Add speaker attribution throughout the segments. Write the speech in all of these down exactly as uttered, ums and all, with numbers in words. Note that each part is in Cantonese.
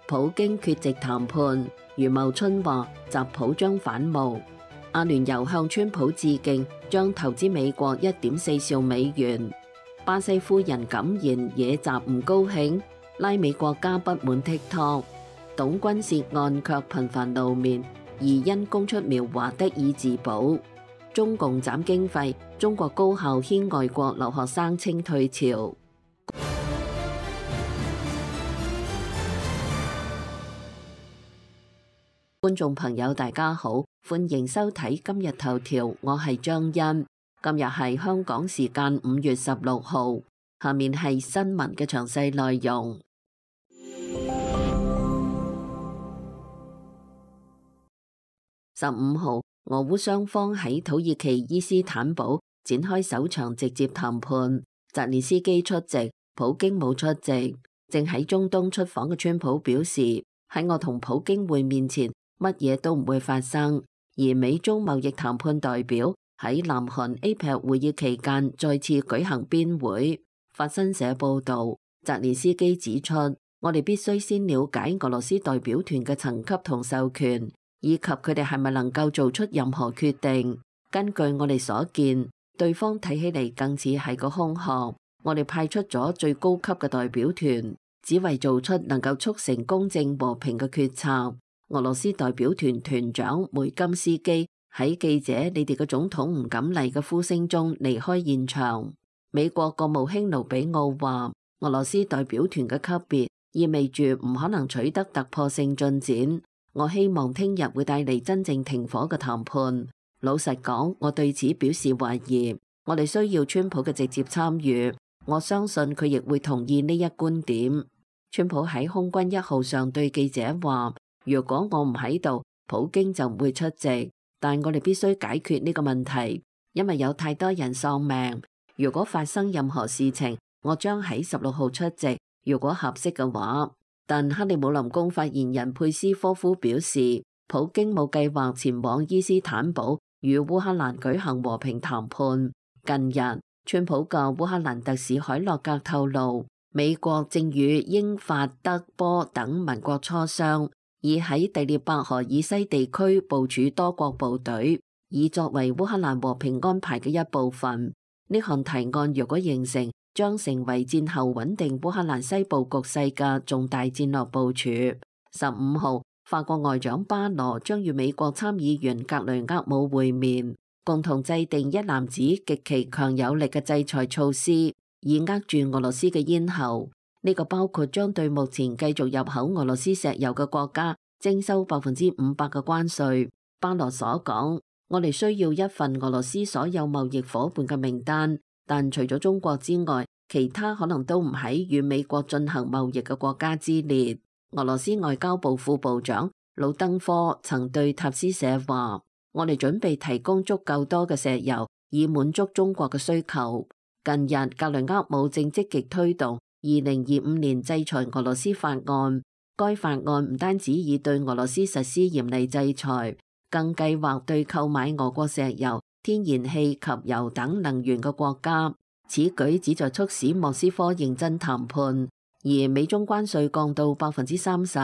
Speaker 1: 普京缺席談判，余茂春話習普將反目。阿聯酋向川普致敬，將投資美國一點四兆美元。巴西夫人敢言野習唔高興，拉美國家不滿 TikTok。董軍涉案卻頻繁露面，疑因供出苗華得以自保。中共斬經費，中國高校牽外國留學生清退潮。觀眾朋友大家好，歡迎收睇今日頭條，我係張欣。今日係香港時間五月十六號，下面係新聞嘅詳細內容。十五號，俄烏雙方喺土耳其伊斯坦堡展開首場直接談判，澤連斯基出席，普京冇出席。正喺中東出訪嘅川普表示，喺我同普京會面前，乜嘢都唔會發生。而美中貿易談判代表喺南韓 A P E C 會議期間再次舉行邊會。法新社報道，澤連斯基指出，我哋必須先了解俄羅斯代表團嘅層級同授權，以及佢哋係咪能夠做出任何決定。根據我哋所見，對方睇起嚟更似係個空殼。我哋派出咗最高級嘅代表團，只為做出能夠促成公正和平嘅決策。俄羅斯代表團團長梅金斯基喺記者你哋嘅總統唔敢嚟嘅呼聲中離開現場。美國國務卿盧比奧話，俄羅斯代表團嘅級別意味住唔可能取得突破性進展。我希望聽日會帶嚟真正停火嘅談判。老實講，我對此表示懷疑。我哋需要川普嘅直接參與，我相信佢亦會同意呢一觀點。川普喺空軍一號上對記者話，如果我唔喺度，普京就唔會出席，但我哋必須解決呢個問題，因為有太多人喪命。如果發生任何事情，我將喺十六號出席，如果合適嘅話。但克里姆林宮發言人佩斯科夫表示，普京冇計劃前往伊斯坦堡與烏克蘭舉行和平談判。近日，川普嘅烏克蘭特使海洛格透露，美國正與英法德波等盟國磋商，以喺第聶伯河以西地區部署多國部隊，以作為烏克蘭和平安排嘅一部分。呢項提案若果形成，將成為戰後穩定烏克蘭西部局勢嘅重大戰略部署。十五號，法國外長巴羅將與美國參議員格雷厄姆會面，共同制定一籃子極其強有力嘅制裁措施，以扼住俄羅斯嘅咽喉。呢、這個包括將對目前繼續入口俄羅斯石油嘅國家徵收百分之五百嘅關稅。巴羅所講，我哋需要一份俄羅斯所有貿易夥伴嘅名單。但除咗中國之外，其他可能都唔喺與美國進行貿易嘅國家之列。俄羅斯外交部副部長魯登科曾對塔斯社話，我哋準備提供足夠多嘅石油，以滿足中國嘅需求。近日，格雷厄姆正積極推動二零二五年制裁俄羅斯法案。該法案唔單止已對俄羅斯實施嚴厲制裁，更計劃對購買俄國石油、天然氣及油等能源嘅國家，此舉旨在促使莫斯科認真談判。而美中關稅降到百分之三十，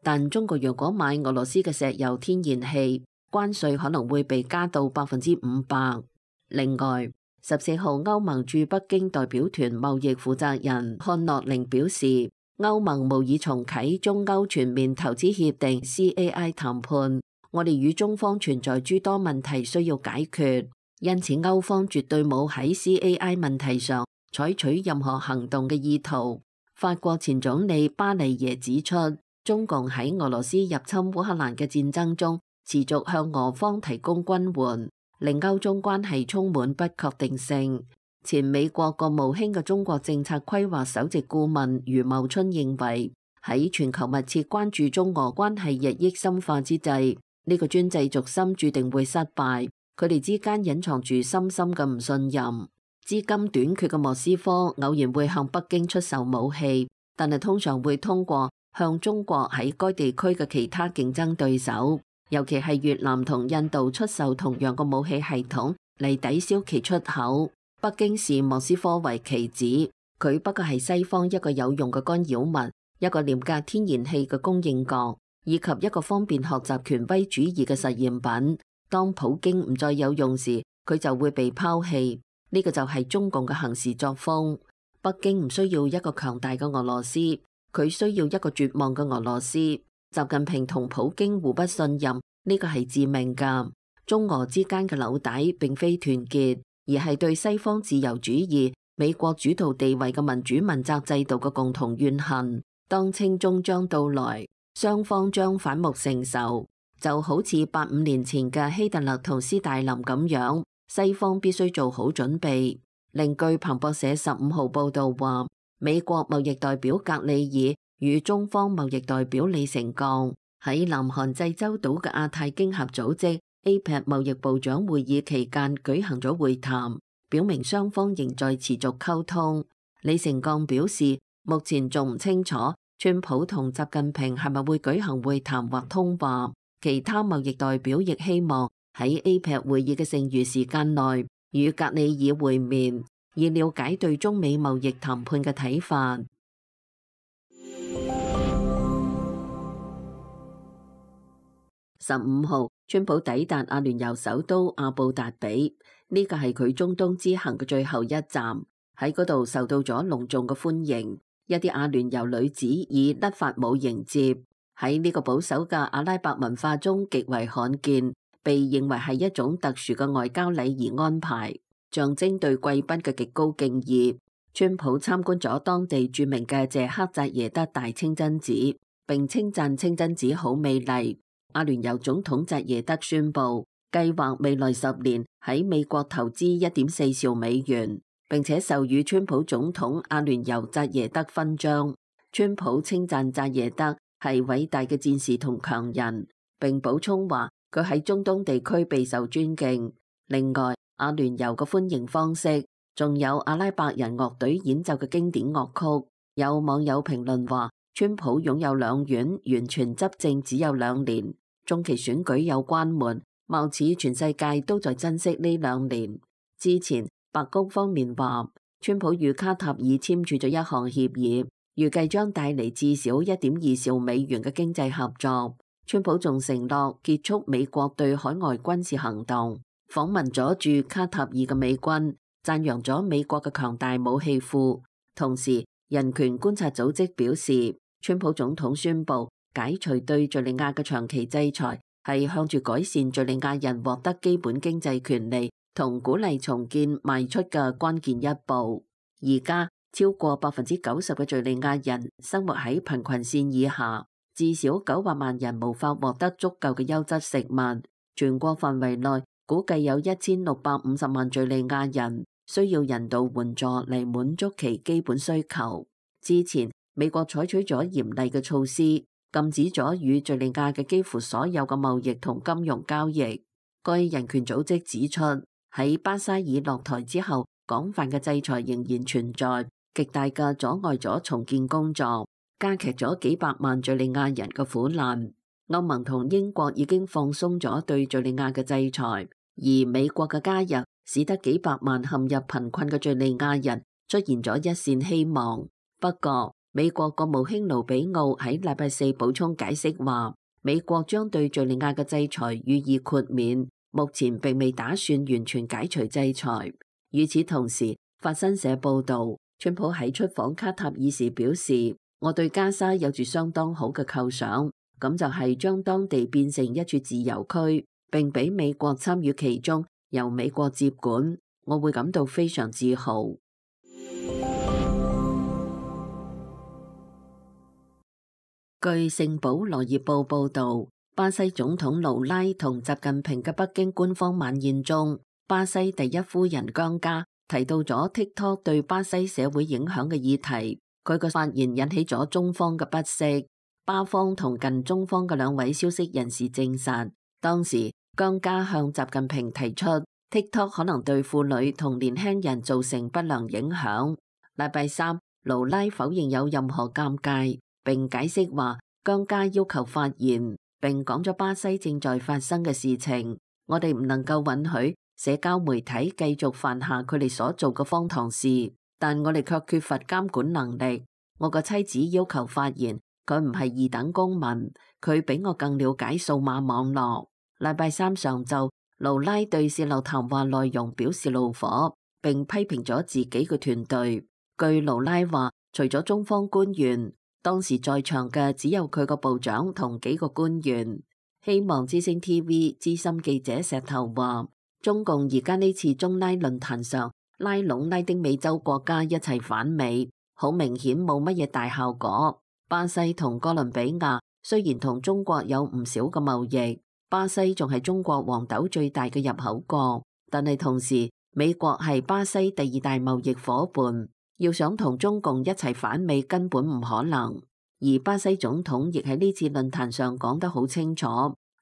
Speaker 1: 但中國若果買俄羅斯嘅石油、天然氣，關稅可能會被加到百分之五百。另外，十四號歐盟駐北京代表團貿易負責人漢諾寧表示，歐盟無意重啟中歐全面投資協定 C A I 談判。我哋與中方存在諸多問題需要解決，因此歐方絕對冇喺 C A I 問題上採取任何行動嘅意圖。法國前總理巴尼耶指出，中共喺俄羅斯入侵烏克蘭嘅戰爭中持續向俄方提供軍援，令歐中關係充滿不確定性。前美國國務卿嘅中國政策規劃首席顧問余茂春認為，喺全球密切關注中俄關係日益深化之際，呢個專制軸心注定會失敗，佢哋之間隱藏住深深嘅唔信任。資金短缺嘅莫斯科偶然會向北京出售武器，但係通常會通過向中國喺該地區嘅其他競爭對手，尤其係越南同印度出售同樣嘅武器系統嚟抵消其出口。北京視莫斯科為棋子，佢不過係西方一個有用嘅干擾物，一個廉價天然氣嘅供應國，以及一個方便學習權威主義嘅實驗品。當普京唔再有用時，佢就會被拋棄。呢個就係中共嘅行事作風。北京唔需要一個強大嘅俄羅斯，佢需要一個絕望嘅俄羅斯。習近平同普京互不信任，呢個係致命㗎。中俄之間嘅紐帶並非團結，而係對西方自由主義、美國主導地位嘅民主問責制度嘅共同怨恨。當清終將到來，雙方將反目成仇，就好似八五年前嘅希特勒同斯大林咁樣。西方必須做好準備。另據彭博社十五號報道話，美國貿易代表格里爾與中方貿易代表李成鋼喺南韓濟州島嘅亞太經合組織 A P E C 貿易部長會議期間舉行咗會談，表明雙方仍在持續溝通。李成鋼表示，目前仲唔清楚川普同習近平係咪會舉行會談或通話。其他貿易代表亦希望喺 A P E C 會議嘅剩餘時間內與格里爾會面，以了解對中美貿易談判嘅睇法。十五號，川普抵達阿聯酋首都阿布達比，呢個係佢中東之行嘅最後一站。喺嗰度受到咗隆重嘅歡迎，一啲阿聯酋女子以甩髮舞迎接，喺呢個保守嘅阿拉伯文化中極為罕見。被認為係一種特殊嘅外交禮儀安排，象徵對貴賓嘅極高敬意。川普參觀咗當地著名嘅謝克扎耶德大清真寺，並稱讚清真寺好美麗。阿聯酋總統扎耶德宣布，計劃未來十年喺美國投資一點四兆美元，並且授予川普總統阿聯酋扎耶德勳章。川普稱讚扎耶德係偉大嘅戰士同強人，並補充話，佢喺中東地區備受尊敬。另外，阿聯酋嘅歡迎方式，仲有阿拉伯人樂隊演奏嘅經典樂曲。有網友評論話，川普擁有兩院，完全執政只有兩年，中期選舉有關門，貌似全世界都在珍惜呢兩年。之前，白宮方面話，川普與卡塔爾簽署咗一項協議，預計將帶嚟至少一點二兆美元嘅經濟合作。川普仲承諾結束美國對海外軍事行動，訪問咗駐卡塔爾嘅美軍，讚揚咗美國嘅強大武器庫。同時，人權觀察組織表示，川普總統宣布解除對敘利亞嘅長期制裁，係向住改善敘利亞人獲得基本經濟權利同鼓勵重建邁出嘅關鍵一步。而家超過百分之九十嘅敘利亞人生活喺貧困線以下。至少九百萬人無法獲得足夠嘅優質食物。全國範圍內估計有一千六百五十萬敘利亞人需要人道援助嚟滿足其基本需求。之前美國採取咗嚴厲嘅措施，禁止咗與敘利亞嘅幾乎所有嘅貿易同金融交易。該人權組織指出，喺巴沙爾落台之後，廣泛嘅制裁仍然存在，極大嘅阻礙咗重建工作，加劇咗幾百萬敘利亞人嘅苦難。歐盟同英國已經放鬆咗對敘利亞嘅制裁，而美國嘅加入使得幾百萬陷入貧困嘅敘利亞人出現咗一線希望。不過，美國國務卿盧比奧喺禮拜四補充解釋話，美國將對敘利亞嘅制裁予以豁免，目前並未打算完全解除制裁。與此同時，法新社報導，川普喺出訪卡塔爾時表示，我對加沙有住相當好嘅構想，咁就係將當地變成一處自由區，並俾美國參與其中，由美國接管，我會感到非常自豪。據《聖保羅葉報》報導，巴西總統盧拉同習近平嘅北京官方晚宴中，巴西第一夫人姜家提到咗 TikTok 對巴西社會影響嘅議題。佢嘅發言引起咗中方嘅不適，巴方同近中方嘅兩位消息人士證實，當時姜家向習近平提出 TikTok 可能對婦女同年輕人造成不良影響。禮拜三，盧拉否認有任何尷尬，並解釋話姜家要求發言，並講咗巴西正在發生嘅事情。我哋唔能夠允許社交媒體繼續犯下佢哋所做嘅荒唐事。但我哋卻缺乏監管能力，我個妻子要求發言，佢唔係二等公民，佢比我更了解數碼網絡。禮拜三上晝，盧拉對洩漏談話內容表示怒火，並批評咗自己嘅團隊。據盧拉話，除咗中方官員，當時在場嘅只有佢個部長同幾個官員。希望之聲 T V 資深記者石頭話，中共而家呢次中拉論壇上拉攏拉丁美洲國家一齊反美，好明顯冇乜嘢大效果。巴西同哥倫比亞雖然同中國有唔少嘅貿易，巴西仲係中國黃豆最大嘅入口國，但係同時美國係巴西第二大貿易夥伴，要想同中共一齊反美根本唔可能。而巴西總統亦喺呢次論壇上講得好清楚，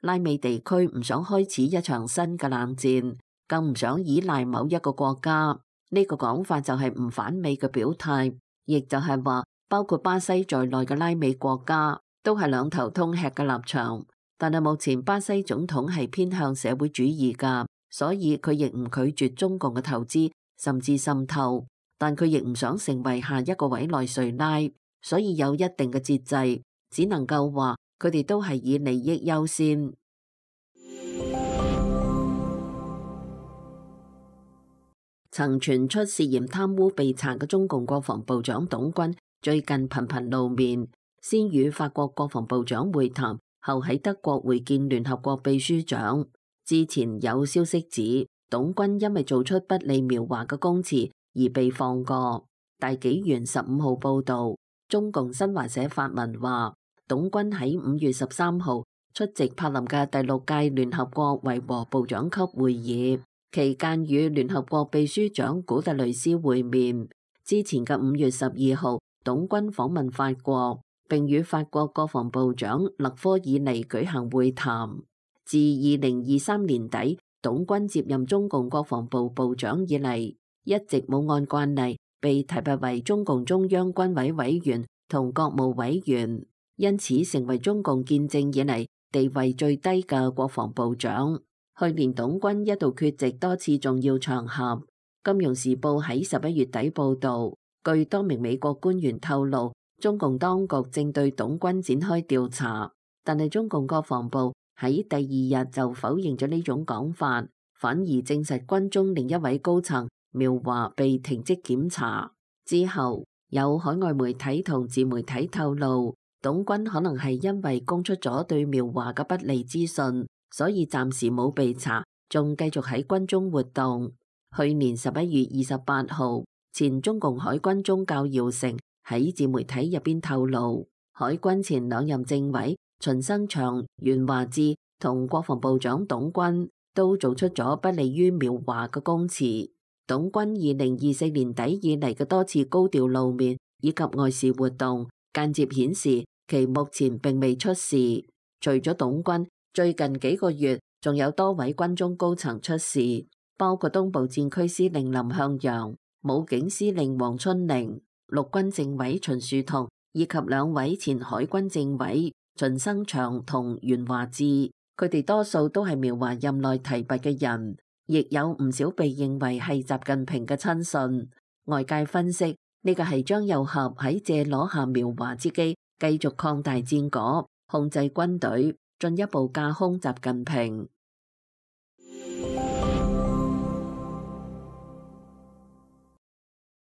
Speaker 1: 拉美地區唔想開始一場新嘅冷戰，更唔想依賴某一個國家。呢個講法就係唔反美嘅表態，亦就係話包括巴西在內嘅拉美國家都係兩頭通吃嘅立場。但係目前巴西總統係偏向社會主義㗎，所以佢亦唔拒絕中共嘅投資甚至滲透，但佢亦唔想成為下一個委內瑞拉。所以有一定嘅節制，只能夠話佢哋都係以利益優先。曾傳出涉嫌貪污被查嘅中共國防部長董軍，最近頻頻露面，先與法國國防部長會談，後喺德國會見聯合國秘書長。之前有消息指，董軍因為做出不利苗華嘅供詞而被放過。大紀元十五號報導。中共新華社發文話，董軍喺五月十三號出席柏林嘅第六屆聯合國維和部長級會議，期間與聯合國秘書長古特雷斯會面。之前嘅五月十二號，董軍訪問法國，並與法國國防部長勒科爾尼舉行會談。自二零二三年底，董軍接任中共國防部部長以嚟，一直冇按慣例被提拔為中共中央軍委委員同國務委員，因此成為中共建政以嚟地位最低嘅國防部長。去年董軍一度缺席多次重要場合。金融時報喺十一月底報導，據多名美國官員透露，中共當局正對董軍展開調查，但係中共國防部喺第二日就否認咗呢種講法，反而證實軍中另一位高層苗華被停職檢查。之後有海外媒體同自媒體透露，董軍可能係因為供出咗對苗華嘅不利資訊，所以暫時冇被查，仲繼續喺軍中活動。去年十一月二十八號，前中共海軍中校姚成喺自媒體入邊透露，海軍前兩任政委秦生祥、袁華智同國防部長董軍都做出咗不利於苗華嘅供詞。董軍二零二四年底以嚟嘅多次高調露面以及外事活動，間接顯示其目前並未出事。除咗董軍，最近幾個月仲有多位軍中高層出事，包括東部戰區司令林向陽、武警司令黃春寧、陸軍政委秦樹同以及兩位前海軍政委秦生祥同袁華智。佢哋多數都係苗華任內提拔嘅人，亦有唔少被認為係習近平嘅親信。外界分析，呢個係張又俠喺借攞下苗華之機，繼續擴大戰果，控制軍隊，進一步架空習近平。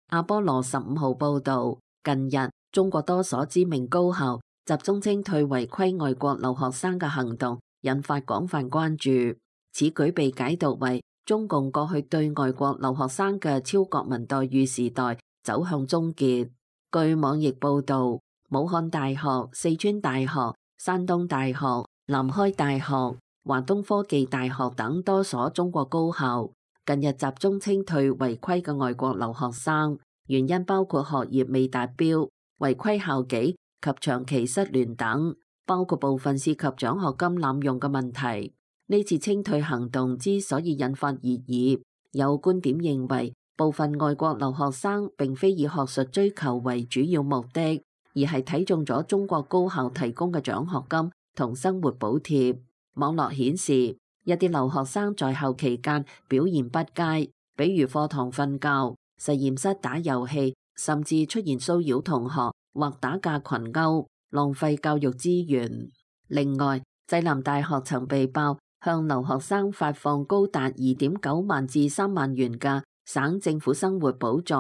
Speaker 1: 阿波羅十五號報導，近日中國多所知名高校集中清退違規外國留學生嘅行動，引發廣泛關注。此舉被解讀為中共過去對外國留學生嘅超國民待遇時代走向終結。據網易報導，武漢大學、四川大學、山東大學、南開大學、華東科技大學等多所中國高校近日集中清退違規嘅外國留學生，原因包括學業未達標、違規校紀及長期失聯等，包括部分涉及獎學金濫用嘅問題。呢次清退行動之所以引發熱議，有觀點認為部分外國留學生並非以學術追求為主要目的，而係睇中咗中國高校提供嘅獎學金同生活補貼。網絡顯示，一啲留學生在校期間表現不佳，比如課堂瞓覺、實驗室打遊戲，甚至出現騷擾同學、或打架群毆，浪費教育資源。另外，濟南大學曾被爆向留學生發放高達二點九萬至三萬元嘅省政府生活補助，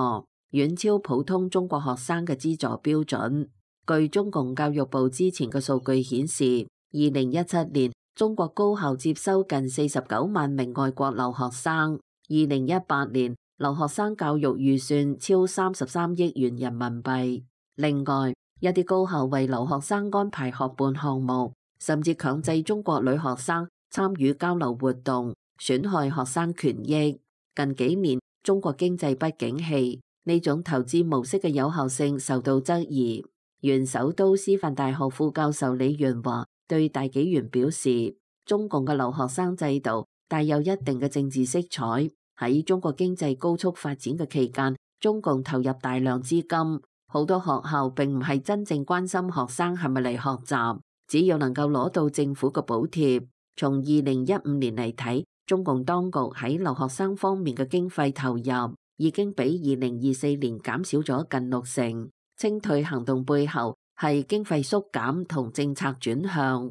Speaker 1: 遠超普通中國學生嘅資助標準。據中共教育部之前嘅數據顯示，二零一七年中國高校接收近四十九萬名外國留學生。二零一八年留學生教育預算超三十三億元人民幣。另外，一啲高校為留學生安排學伴項目，甚至強制中國女學生參與交流活動，損害學生權益。近幾年中國經濟不景氣，呢種投資模式嘅有效性受到質疑。原首都師範大學副教授李元華對大紀元表示，中共嘅留學生制度帶有一定嘅政治色彩。喺中國經濟高速發展嘅期間，中共投入大量資金，好多學校並唔係真正關心學生係咪嚟學習，只要能夠攞到政府嘅補貼。從二零一五年嚟睇，中共當局喺留學生方面嘅經費投入已經比二零二四年減少咗近六成。清退行動背後係經費縮減同政策轉向。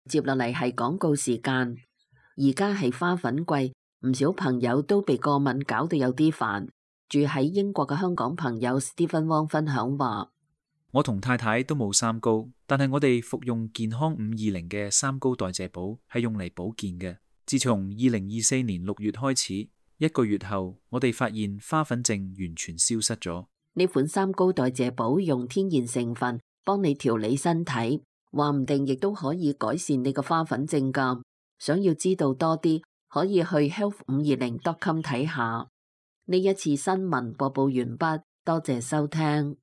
Speaker 1: 接落嚟係廣告時間。而家係花粉季，唔少朋友都被過敏搞到有啲煩。住喺英國嘅香港朋友 Stephen Wong 分享話：
Speaker 2: 我同太太都冇三高，但係我哋服用健康五二零嘅三高代謝寶係用嚟保健嘅。自從二零二四年六月開始，一個月後我哋發現花粉症完全消失咗。
Speaker 1: 呢款三高代謝寶用天然成分幫你調理身體，話唔定亦都可以改善你個花粉症㗎。想要知道多啲，可以去 health 五二零 dot com 睇下。呢一次新聞播報完畢，多謝收聽。